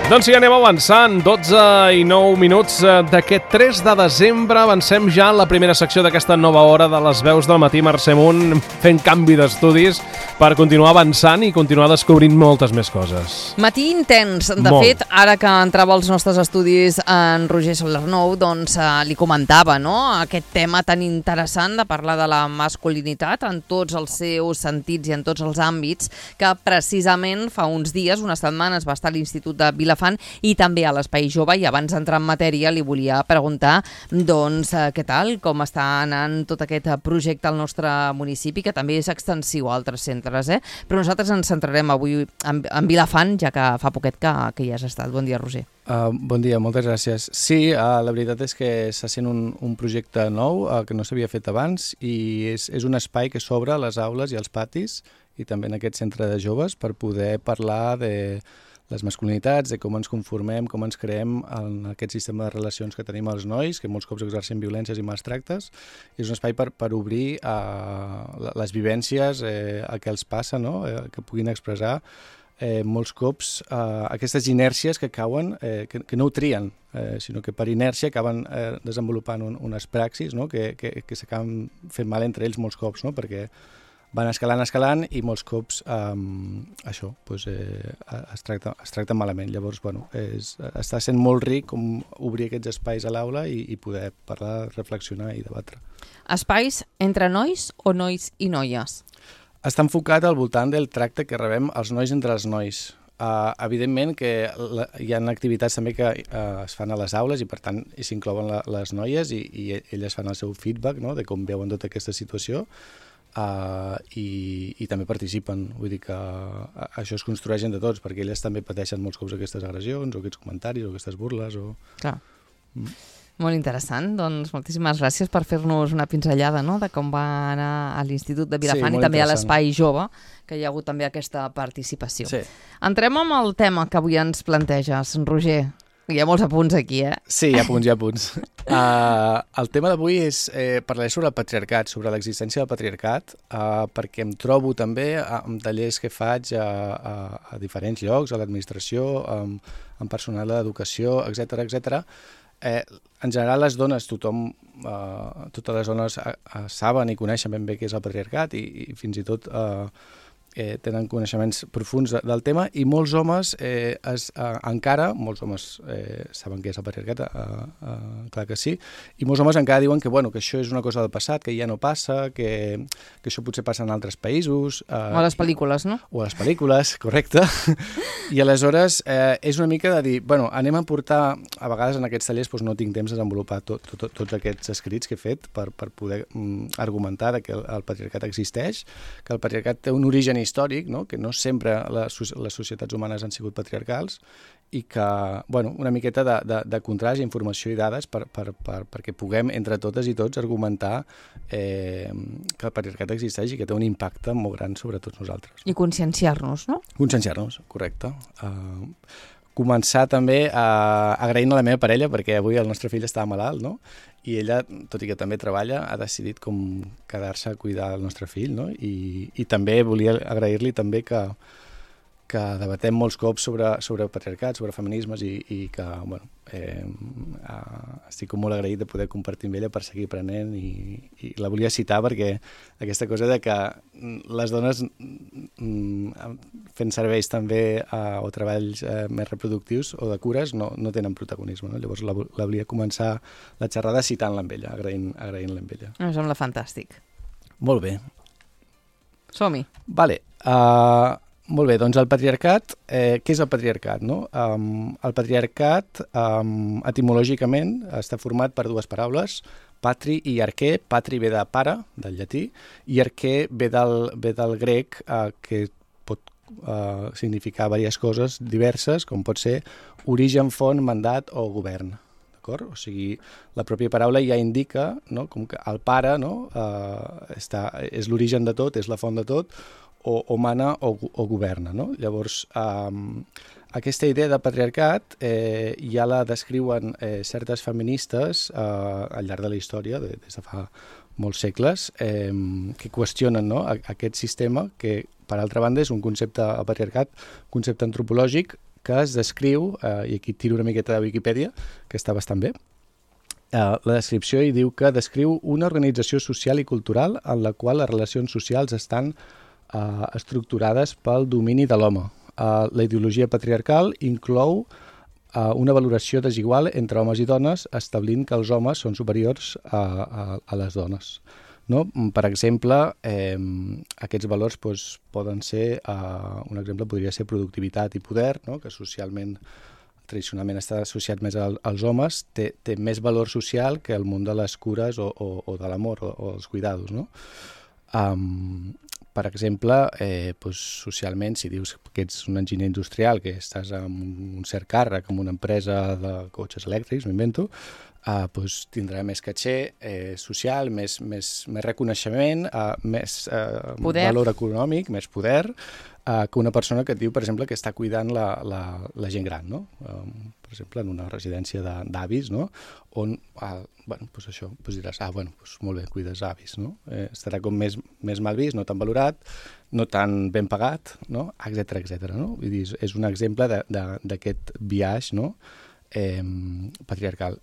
Doncs sí, anem avançant. 12 i 9 minuts d'aquest 3 de desembre. Avancem ja en la primera secció d'aquesta nova hora de les veus del matí. Mercè Munt fent canvi d'estudis per continuar avançant i continuar descobrint moltes més coses. Matí intens. De fet, ara que entrava als nostres estudis en Roger Solernou, doncs li comentava, no?, aquest tema tan interessant de parlar de la masculinitat en tots els seus sentits i en tots els àmbits, que precisament fa uns dies, unes setmanes, va estar a l'Institut de Vilafant i també a l'Espai Jove, i abans d'entrar en matèria li volia preguntar doncs què tal, com està anant tot aquest projecte al nostre municipi, que també és extensiu a altres centres, però nosaltres ens centrarem avui en Vilafant, ja que fa poquet que hi has estat. Bon dia, Roger. Bon dia, moltes gràcies. Sí, la veritat és que està sent un projecte nou que no s'havia fet abans, i és un espai que s'obre a les aules i als patis i també en aquest centre de joves per poder parlar de les masculinitats, de com ens conformem, com ens creem en aquest sistema de relacions que tenim els nois, que molts cops exercen violències i mals tractes. És un espai per obrir les vivències, el que els passa, no? Que puguin expressar molts cops aquestes inèrcies que cauen, que no ho trien, sinó que per inèrcia acaben desenvolupant unes praxis, no? que s'acaben fent mal entre ells molts cops, no? Perquè van escalant i molts cops això es tracta malament. Llavors, està sent molt ric com obrir aquests espais a l'aula i poder parlar, reflexionar i debatre. Espais entre nois o nois i noies? Està enfocat al voltant del tracte que rebem els nois entre els nois. Evidentment que hi ha activitats també que es fan a les aules i per tant s'inclouen les noies i elles fan el seu feedback, no?, de com veuen tota aquesta situació. I també participen, vull dir que això es construeix entre tots, perquè elles també pateixen molts cops aquestes agressions o aquests comentaris o aquestes burles. Clar. Molt interessant, doncs moltíssimes gràcies per fer-nos una pinzellada, no?, de com va anar a l'Institut de Vilafant i també a l'Espai Jove, que hi ha hagut també aquesta participació. Sí. Entrem amb el tema que avui ens planteges, Roger. Hi ha molts apunts aquí, Sí, hi ha punts. El tema d'avui és parlar sobre el patriarcat, sobre l'existència del patriarcat, perquè em trobo també en tallers que faig a diferents llocs, a l'administració, en personal d'educació, etc. En general les dones, totes les dones saben i coneixen ben bé què és el patriarcat i fins i tot tenen coneixements profuns del tema, i molts homes encara, molts homes saben què és el patriarcat, clar que sí, i molts homes encara diuen que això és una cosa del passat, que ja no passa, que això potser passa en altres països. O a les pel·lícules, no? O a les pel·lícules, correcte. I aleshores és una mica de dir, anem a portar, a vegades en aquests tallers no tinc temps de desenvolupar tots aquests escrits que he fet per poder argumentar que el patriarcat existeix, que el patriarcat té un origen històric, no?, que no sempre les societats humanes han sigut patriarcals, i que, una miqueta de contrast, informació i dades perquè puguem, entre totes i tots, argumentar que el patriarcat existeix i que té un impacte molt gran sobre tots nosaltres. I conscienciar-nos, no? Conscienciar-nos, correcte. Començar també agraint a la meva parella, perquè avui el nostre fill estava malalt, no?, i ella, tot i que també treballa, ha decidit com quedar-se a cuidar el nostre fill, no? I també volia agrair-li també que debatem molts cops sobre patriarcat, sobre feminismes, i que estic molt agraït de poder compartir amb ella per seguir aprenent, i la volia citar perquè aquesta cosa de que les dones fent serveis també o treballs més reproductius o de cures no tenen protagonisme, no? Llavors la volia començar la xerrada citant-la amb ella, agraint-la amb ella. Em sembla fantàstic. Molt bé. Som-hi. Vale. Molt bé, doncs el patriarcat, què és el patriarcat, no? El patriarcat, etimològicament, està format per dues paraules, patri i arquer. Patri ve de pare, del llatí, i arquer ve del grec, que pot significar diverses coses diverses, com pot ser origen, font, mandat o govern. D'acord? O sigui, la pròpia paraula ja indica, no?, com que el pare, no?, és l'origen de tot, és la font de tot, o mana o governa, no? Llavors, aquesta idea de patriarcat ja la descriuen certes feministes al llarg de la història, des de fa molts segles, que qüestionen, no?, aquest sistema que, per altra banda, és un concepte, el patriarcat, concepte antropològic que es descriu, i aquí tiro una miqueta de Wikipedia, que està bastant bé. La descripció hi diu que descriu una organització social i cultural en la qual les relacions socials estan estructurades pel domini de l'home. La ideologia patriarcal inclou una valoració desigual entre homes i dones, establint que els homes són superiors a les dones. No? Per exemple, aquests valors poden ser, un exemple podria ser productivitat i poder, no? Que socialment, tradicionalment està associat més als homes, té més valor social que el món de les cures o de l'amor o els cuidados, no? Per exemple, socialment, si dius que ets un enginyer industrial, que estàs en un cert càrrec en una empresa de cotxes elèctrics, m'invento, tindrà més caché social, més reconeixement, més valor econòmic, més poder, que una persona que et diu, per exemple, que està cuidant la gent gran, no? Per exemple, en una residència d'avis, no? On, això, diràs, molt bé, cuides avis, no? Estarà com més mal vist, no tan valorat, no tan ben pagat, no? Etcètera, no? Vull dir, és un exemple d'aquest biaix, no? Patriarcal.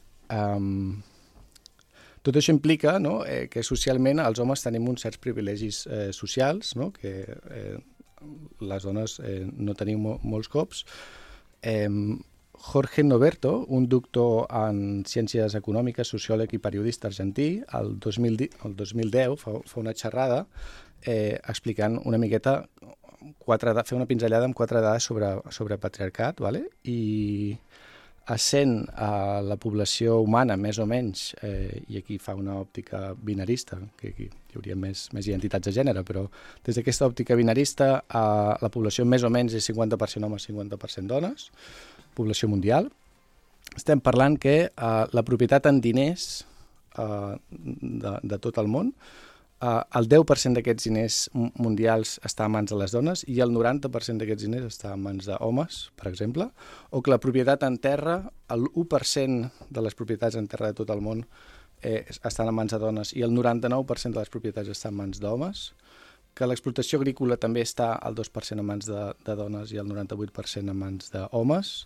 Tot això implica, no? Que socialment els homes tenim uns certs privilegis socials, no? Que les dones no tenim molts cops. Jorge Noverto, un doctor en ciències econòmiques, sociòleg i periodista argentí, el 2010 fa una xerrada explicant una miqueta, fer una pinzellada amb 4 dades sobre patriarcat, ¿vale? I essent la població humana més o menys, i aquí fa una òptica binarista, que aquí hi hauria més identitats de gènere, però des d'aquesta òptica binarista la població més o menys és 50% homes, 50% dones, població mundial. Estem parlant que la propietat en diners de tot el món, el 10% d'aquests diners mundials està a mans de les dones i el 90% d'aquests diners està a mans d'homes, per exemple, o que la propietat en terra, el 1% de les propietats en terra de tot el món estan a mans de dones i el 99% de les propietats estan a mans d'homes, que l'explotació agrícola també està al 2% a mans de dones i el 98% a mans d'homes,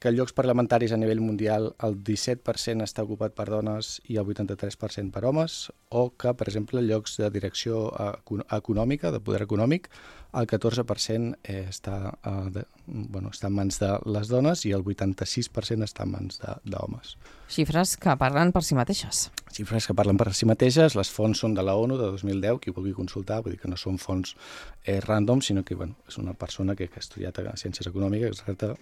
que llocs parlamentaris a nivell mundial el 17% està ocupat per dones i el 83% per homes, o que, per exemple, llocs de direcció econòmica, de poder econòmic, el 14% està en mans de les dones i el 86% està en mans d'homes. Xifres que parlen per si mateixes. Xifres que parlen per si mateixes, les fonts són de la ONU de 2010, qui ho vulgui consultar, vull dir que no són fonts random, sinó que és una persona que ha estudiat ciències econòmiques, etc.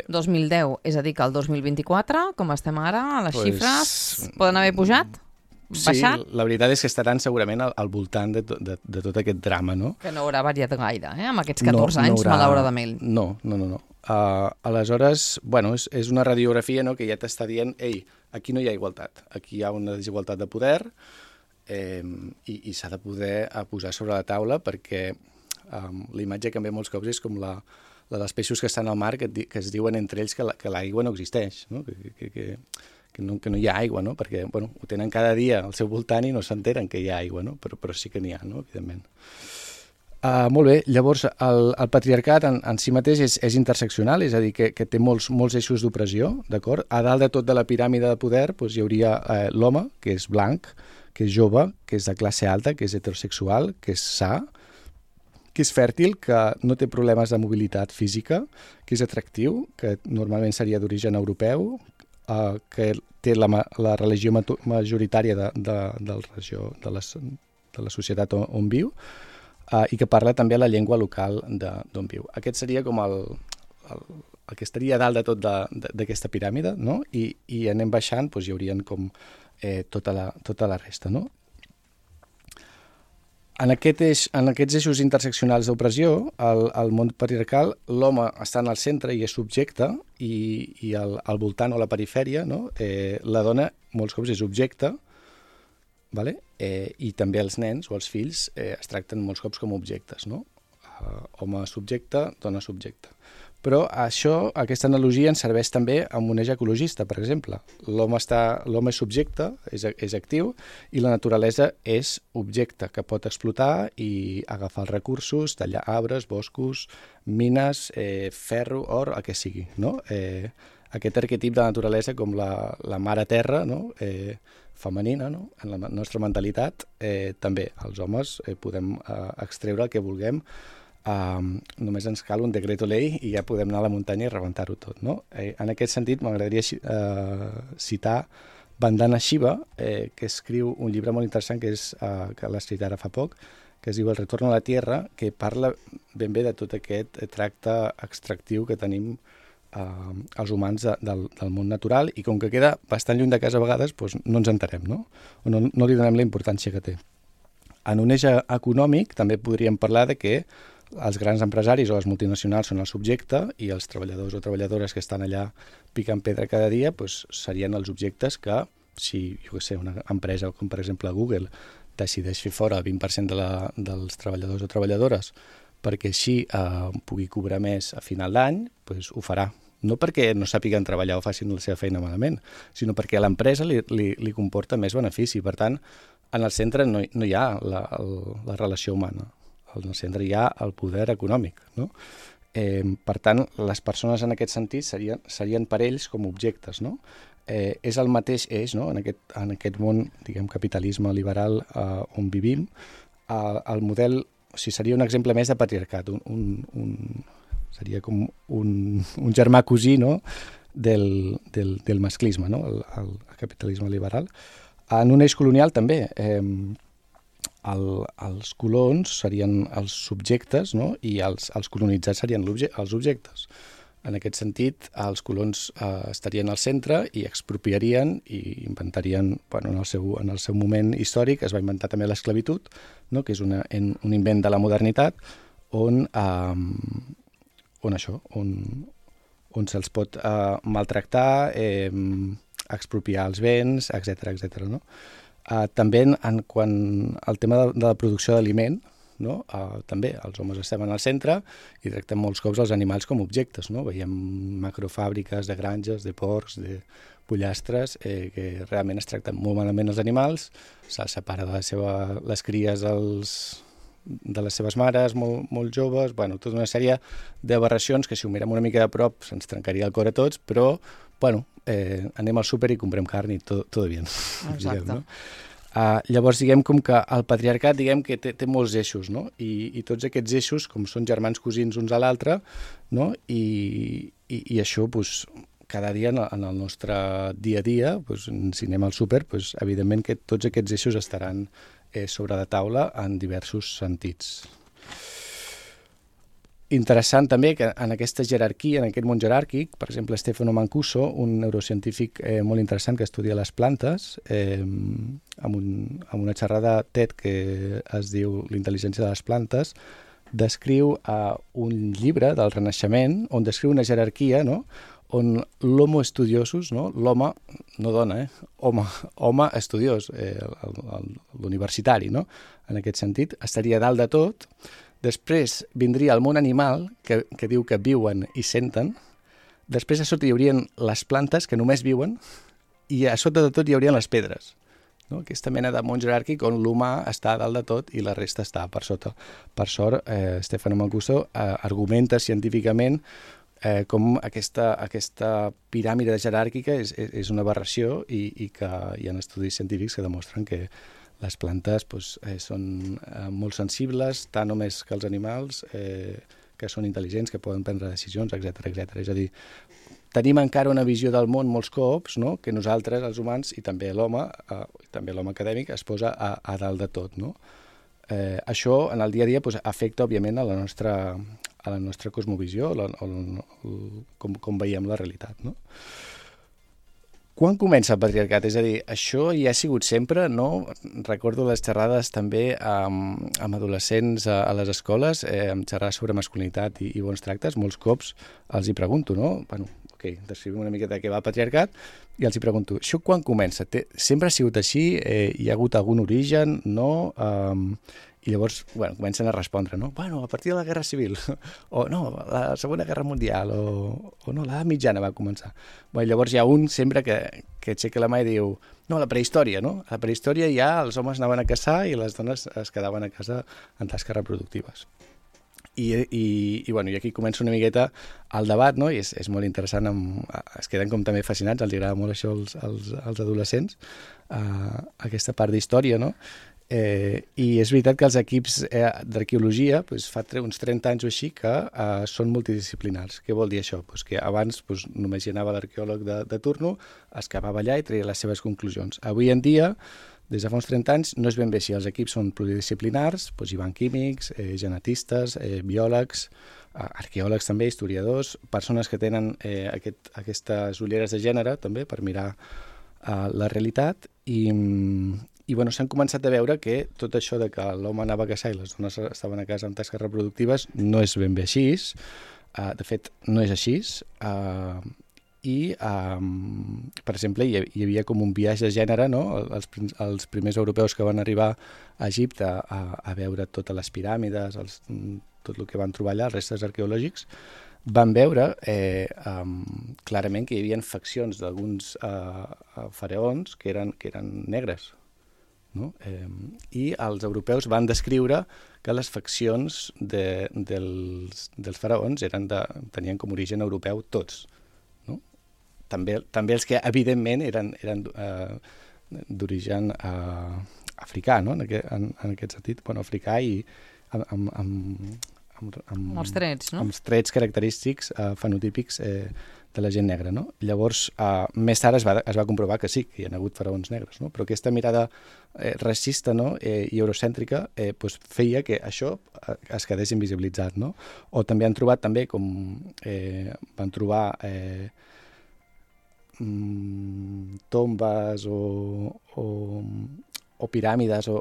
2010, és a dir, que el 2024, com estem ara, les xifres poden haver pujat? Baixat? Sí, la veritat és que estaran segurament al voltant de tot aquest drama, no? Que no haurà variat gaire, amb aquests 14 anys, malauradament. No. Aleshores, és una radiografia, no?, que ja t'està dient, ei, aquí no hi ha igualtat, aquí hi ha una desigualtat de poder i s'ha de poder posar sobre la taula perquè la imatge que em ve molts cops és com la dels peixos que estan al mar que es diuen entre ells que l'aigua no existeix, no? Que no hi ha aigua, no? Perquè ho tenen cada dia al seu voltant i no s'enteren que hi ha aigua, no? Però sí que n'hi ha, no? Evidentment. Molt bé, llavors el patriarcat en si mateix és interseccional, és a dir, que té molts eixos d'opressió, d'acord? A dalt de tot de la piràmide de poder hi hauria l'home, que és blanc, que és jove, que és de classe alta, que és heterosexual, que és sa, que és fèrtil, que no té problemes de mobilitat física, que és atractiu, que normalment seria d'origen europeu, que té la religió majoritària de la societat on viu i que parla també la llengua local d'on viu. Aquest seria com el que estaria a dalt de tot d'aquesta piràmide, no? I anem baixant, hi haurien com tota la resta, no? En aquests eixos interseccionals d'opressió, al món patriarcal, l'home està en el centre i és subjecte, i al voltant o a la perifèria, no? La dona molts cops és objecte, vale? I també els nens o els fills es tracten molts cops com objectes, no? home subjecte, dona subjecte. Però aquesta analogia ens serveix també amb un eix ecologista, per exemple. L'home és subjecte, és actiu, i la naturalesa és objecte, que pot explotar i agafar els recursos, tallar arbres, boscos, mines, ferro, or, el que sigui, no? Aquest arquetip de naturalesa com la mare terra, no? Femenina, no? En la nostra mentalitat, també els homes podem extreure el que vulguem. Només ens cal un decreto ley i ja podem anar a la muntanya i rebentar-ho tot, no? En aquest sentit m'agradaria citar Vandana Shiva, que escriu un llibre molt interessant que l'ha escrit ara fa poc, que es diu El retorno a la tierra, que parla ben bé de tot aquest tracte extractiu que tenim els humans del món natural, i com que queda bastant lluny de casa a vegades, doncs no ens enterem, no? O no li donem la importància que té. En un eix econòmic també podríem parlar de que els grans empresaris o les multinacionals són el subjecte i els treballadors o treballadores que estan allà picant pedra cada dia doncs serien els objectes que, si una empresa com per exemple Google decideix fer fora el 20% dels treballadors o treballadores perquè així pugui cobrar més a final d'any, doncs ho farà. No perquè no sàpiguen treballar o facin la seva feina malament, sinó perquè a l'empresa li comporta més benefici. Per tant, en el centre no hi ha la relació humana. En el centre hi ha el poder econòmic, no? Per tant, les persones en aquest sentit serien per ells com objectes, no? És el mateix eix, no? En aquest món, diguem, capitalisme liberal on vivim, el model, o sigui, seria un exemple més de patriarcat, seria com un germà cosí, no? del masclisme, no? El capitalisme liberal. En un eix colonial també, els colons serien els subjectes, no? I els colonitzats serien els objectes. En aquest sentit, els colons estarien al centre i expropiarien i inventarien, en el seu moment històric es va inventar també l'esclavitud, no? Que és un invent de la modernitat on se'ls pot maltractar, expropiar els béns, etc. No? També quan el tema de la producció d'aliment, no? També els homes estem en el centre i tractem molts cops els animals com objectes, no? Veiem macrofàbriques de granges, de porcs, de pollastres, que realment es tracten molt malament els animals, se'ls separa de les cries de les seves mares molt joves, tota una sèrie d'aberracions que si ho mirem una mica de prop se'ns trencaria el cor a tots, però anem al súper i comprem carn i tot bien. Exacte. No? Llavors, diguem com que el patriarcat que té molts eixos, no? I tots aquests eixos, com són germans cosins uns a l'altre, no? I això, cada dia en el nostre dia a dia, si anem al súper, evidentment que tots aquests eixos estaran sobre la taula en diversos sentits. Interessant també que en aquesta jerarquia, en aquest món jeràrquic, per exemple, Stefano Mancuso, un neurocientífic molt interessant que estudia les plantes, amb una xerrada TED que es diu L'intel·ligència de les plantes, descriu un llibre del Renaixement on descriu una jerarquia, no? On l'homo estudiosus, no? L'home, no dona, home estudiós, l'universitari, no? En aquest sentit, estaria dalt de tot. Després vindria el món animal, que diu que viuen i senten. Després a sota hi haurien les plantes, que només viuen, i a sota de tot hi haurien les pedres. No? Aquesta mena de món jeràrquic on l'humà està dalt de tot i la resta està per sota. Per sort, Stefano Mancuso argumenta científicament com aquesta piràmide jeràrquica és una aberració i que hi ha estudis científics que demostren que les plantes són molt sensibles, tant o més que els animals, que són intel·ligents, que poden prendre decisions, etc. És a dir, tenim encara una visió del món molts cops, no? Que nosaltres, els humans, i també l'home acadèmic, es posa a dalt de tot. No? Això, en el dia a dia, afecta, òbviament, a la nostra cosmovisió, com veiem la realitat. No? Quan comença el patriarcat? És a dir, això ja ha sigut sempre, no? Recordo les xerrades també amb adolescents a les escoles, amb xerrades sobre masculinitat i bons tractes. Molts cops els hi pregunto, no? Descrivim una miqueta què va el patriarcat i els hi pregunto, això quan comença? Sempre ha sigut així? Hi ha hagut algun origen? No? I llavors, comencen a respondre, no? A partir de la Guerra Civil, o no, la Segona Guerra Mundial, o no, l'edat mitjana va començar. Llavors hi ha un sempre que aixeca la mà i diu, no, la prehistòria, no? A la prehistòria ja els homes anaven a caçar i les dones es quedaven a casa en tasques reproductives. I aquí comença una miqueta el debat, no? I és molt interessant, es queden com també fascinats, els agrada molt això als adolescents, aquesta part d'història, no? I és veritat que els equips d'arqueologia fa uns 30 anys o així que són multidisciplinars. Què vol dir això? Que abans només hi anava l'arqueòleg de turno, es quedava allà i treia les seves conclusions. Avui en dia, des de fa uns 30 anys, no és ben bé així. Els equips són pluridisciplinars, hi van químics, genetistes, biòlegs, arqueòlegs també, historiadors, persones que tenen aquestes ulleres de gènere també per mirar la realitat i s'han començat a veure que tot això de que l'home anava a caçar i les dones estaven a casa amb tasques reproductives no és ben bé així. De fet, no és així. Per exemple, hi havia com un viatge de gènere, no? Els primers europeus que van arribar a Egipte a veure totes les piràmides, tot el que van trobar allà, els restes arqueològics, van veure clarament que hi havia faccions d'alguns faraons que eren negres. No? I els europeus van descriure que les faccions dels faraons tenien com origen europeu tots. No? També els que evidentment eren d'origen africà, no? en aquest sentit, africà i amb els trets, no? Amb els trets característics fenotípics de la gent negra, no? Llavors, més tard es va comprovar que sí, que hi ha hagut faraons negres, no? Però aquesta mirada racista, no? I eurocèntrica feia que això es quedés invisibilitzat, no? O també han trobat van trobar tombes o piràmides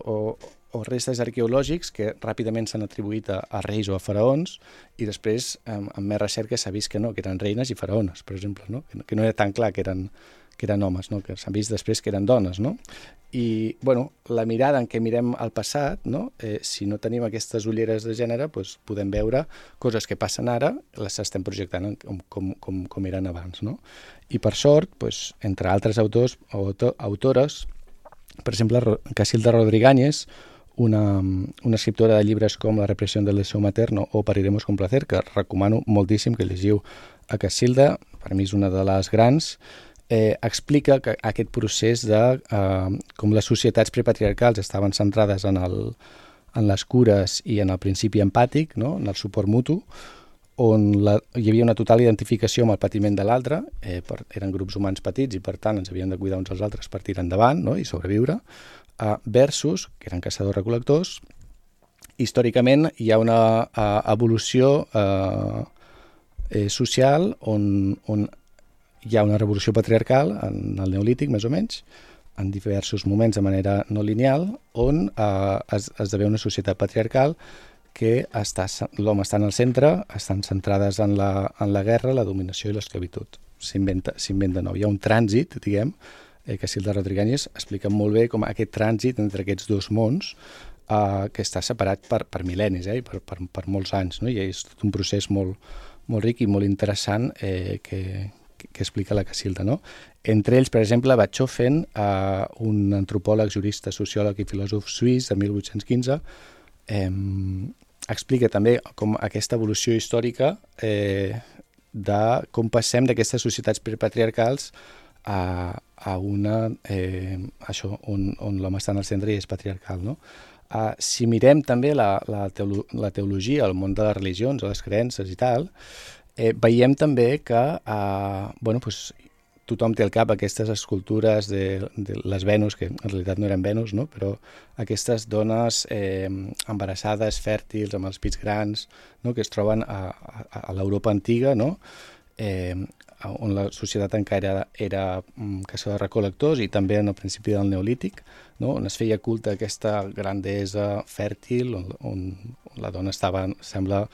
o restes arqueològics que ràpidament s'han atribuït a reis o a faraons i després, amb més recerca, s'ha vist que no, que eren reines i faraones, per exemple, no? Que no era tan clar que eren homes, no? Que s'han vist després que eren dones, no? I, la mirada en què mirem el passat, no? Si no tenim aquestes ulleres de gènere, podem veure coses que passen ara, les estem projectant com eren abans, no? I per sort, entre altres autors o autores, per exemple, Casilda Rodríguez, una escriptora de llibres com La repressió del deseo materno o Pariremos con placer, que recomano moltíssim que llegiu a Casilda, per mi és una de les grans, explica que aquest procés de com les societats prepatriarcals estaven centrades en les cures i en el principi empàtic, no? En el suport mutu, on hi havia una total identificació amb el patiment de l'altre, eren grups humans petits i per tant ens havíem de cuidar uns als altres per tirar endavant, no? I sobreviure, versus, que eren caçadors-recol·lectors. Històricament hi ha una evolució social on hi ha una revolució patriarcal en el Neolític, més o menys, en diversos moments de manera no lineal, on esdevé una societat patriarcal que l'home està en el centre, estan centrades en la guerra, la dominació i l'esclavitud. S'inventa nou. Hi ha un trànsit, diguem, que Casilda Rodríguez explica molt bé com aquest trànsit entre aquests dos mons que està separat per mil·lennis i per molts anys, no? I és tot un procés molt ric i molt interessant que explica la Casilda, no? Entre ells, per exemple, Bachofen, un antropòleg, jurista, sociòleg i filòsof suís de 1815, explica també com aquesta evolució històrica de com passem d'aquestes societats prepatriarcals a una, on l'home està en el centre i és patriarcal, no? Si mirem també la teologia, el món de les religions, les creences i tal, veiem també que tothom té al cap aquestes escultures de les Venus, que en realitat no eren Venus, no? Però aquestes dones embarassades, fèrtils, amb els pits grans, no? Que es troben a l'Europa antiga, no? On la societat encara era caçadors-recol·lectors i també en el principi del Neolític, no? On es feia culte aquesta grandesa fèrtil, on la dona estava, sembla,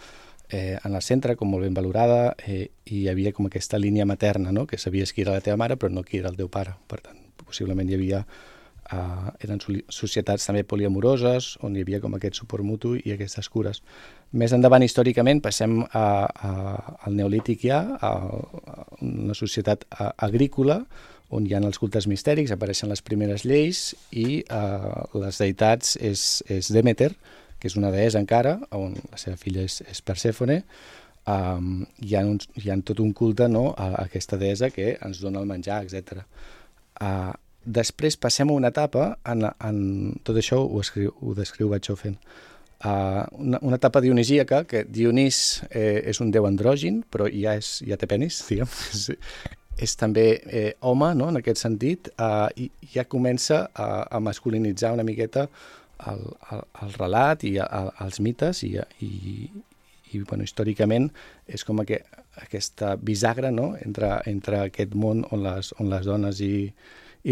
en el centre, com molt ben valorada, i hi havia com aquesta línia materna, no? Que sabies qui era la teva mare però no qui era el teu pare. Per tant, possiblement hi havia eren societats també poliamoroses, on hi havia com aquest suport mutu i aquestes cures. Més endavant, històricament, passem al Neolític ja, a una societat agrícola, on hi ha els cultes mistèrics, apareixen les primeres lleis i les deïtats és Demeter, que és una deessa encara, on la seva filla és Persèfone. Hi ha tot un culte, no, a aquesta deessa que ens dona el menjar, etc. Després passem a una etapa, tot això ho descriu Bachofen, una etapa dionisíaca, que Dionís és un déu andrògin, però ja té penis, diguem. És també home, no?, en aquest sentit, i ja comença a masculinitzar una miqueta el relat i els mites, i bueno, històricament és com aquesta bisagra, no?, entre aquest món on les dones i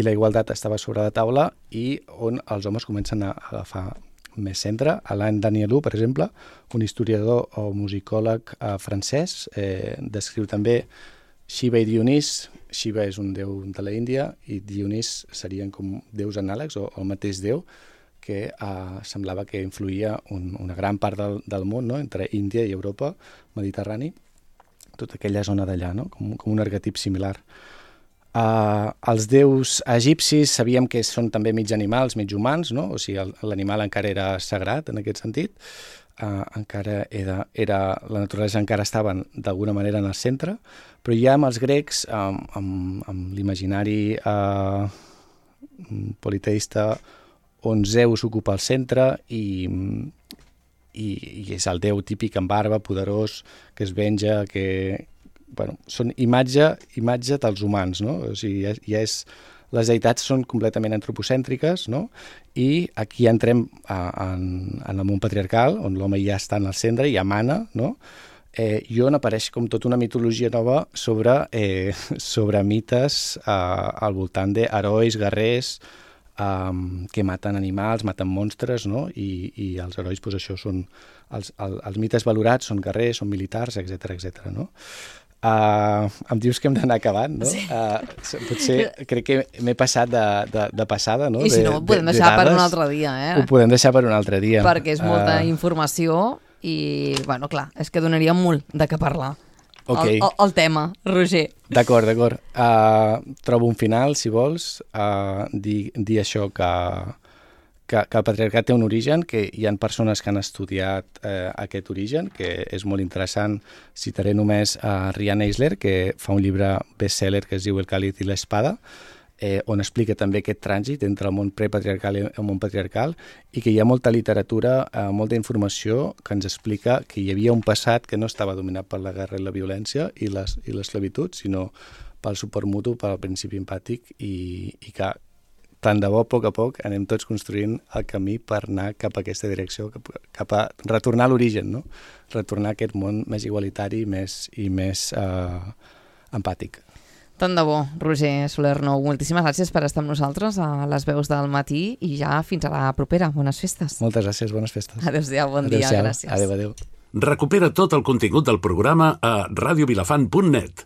la igualtat estava sobre la taula i on els homes comencen a agafar més centre. Alain Danielou, per exemple, un historiador o musicòleg francès, descriu també Shiva i Dionís. Shiva és un déu de la Índia i Dionís serien com déus anàlegs o el mateix déu, que semblava que influïa una gran part del món, no?, entre Índia i Europa, Mediterrani, tota aquella zona d'allà, no?, com un arquetip similar. Els déus egipcis sabíem que són també mig animals, mig humans, no?, o sigui, l'animal encara era sagrat en aquest sentit, encara la naturalesa encara estava d'alguna manera en el centre, però ja amb els grecs, amb l'imaginari politeista, on Zeus ocupa el centre i és el déu típic amb barba, poderós, que es venja, que... Bueno, són imatge dels humans, no? O sigui, les deïtats són completament antropocèntriques, no? I aquí entrem en el món patriarcal, on l'home ja està en el centre, ja mana, no? I on apareix com tota una mitologia nova sobre mites al voltant d'herois, guerrers, que maten animals, maten monstres, no? I els herois, doncs això són... Els mites valorats són guerrers, són militars, etc., no? Em dius que hem d'anar acabant, no? Sí. Potser crec que m'he passat de passada, no? I si no, ho podem deixar per un altre dia, Ho podem deixar per un altre dia. Perquè és molta informació i, bueno, clar, és que donaria molt de què parlar. Okay. El tema, Roger. D'acord. Trobo un final, si vols, dir això, que el patriarcat té un origen, que hi ha persones que han estudiat aquest origen, que és molt interessant. Citaré només a Rian Eisler, que fa un llibre bestseller que es diu El Càlid i l'Espada, on explica també aquest trànsit entre el món prepatriarcal i el món patriarcal, i que hi ha molta literatura, molta informació que ens explica que hi havia un passat que no estava dominat per la guerra i la violència i l'esclavitud, sinó pel suport mutu, pel principi empàtic, i que tant de bo, a poc, anem tots construint el camí per anar cap a aquesta direcció, cap a retornar a l'origen, no? Retornar a aquest món més igualitari i més empàtic. Tant de bo, Roger Soler Nou. Moltíssimes gràcies per estar amb nosaltres a les veus del matí i ja fins a la propera. Bones festes. Moltes gràcies, bones festes. Adéu-siau, bon dia, gràcies. Adéu. Recupera tot el contingut del programa a radiovilafant.net.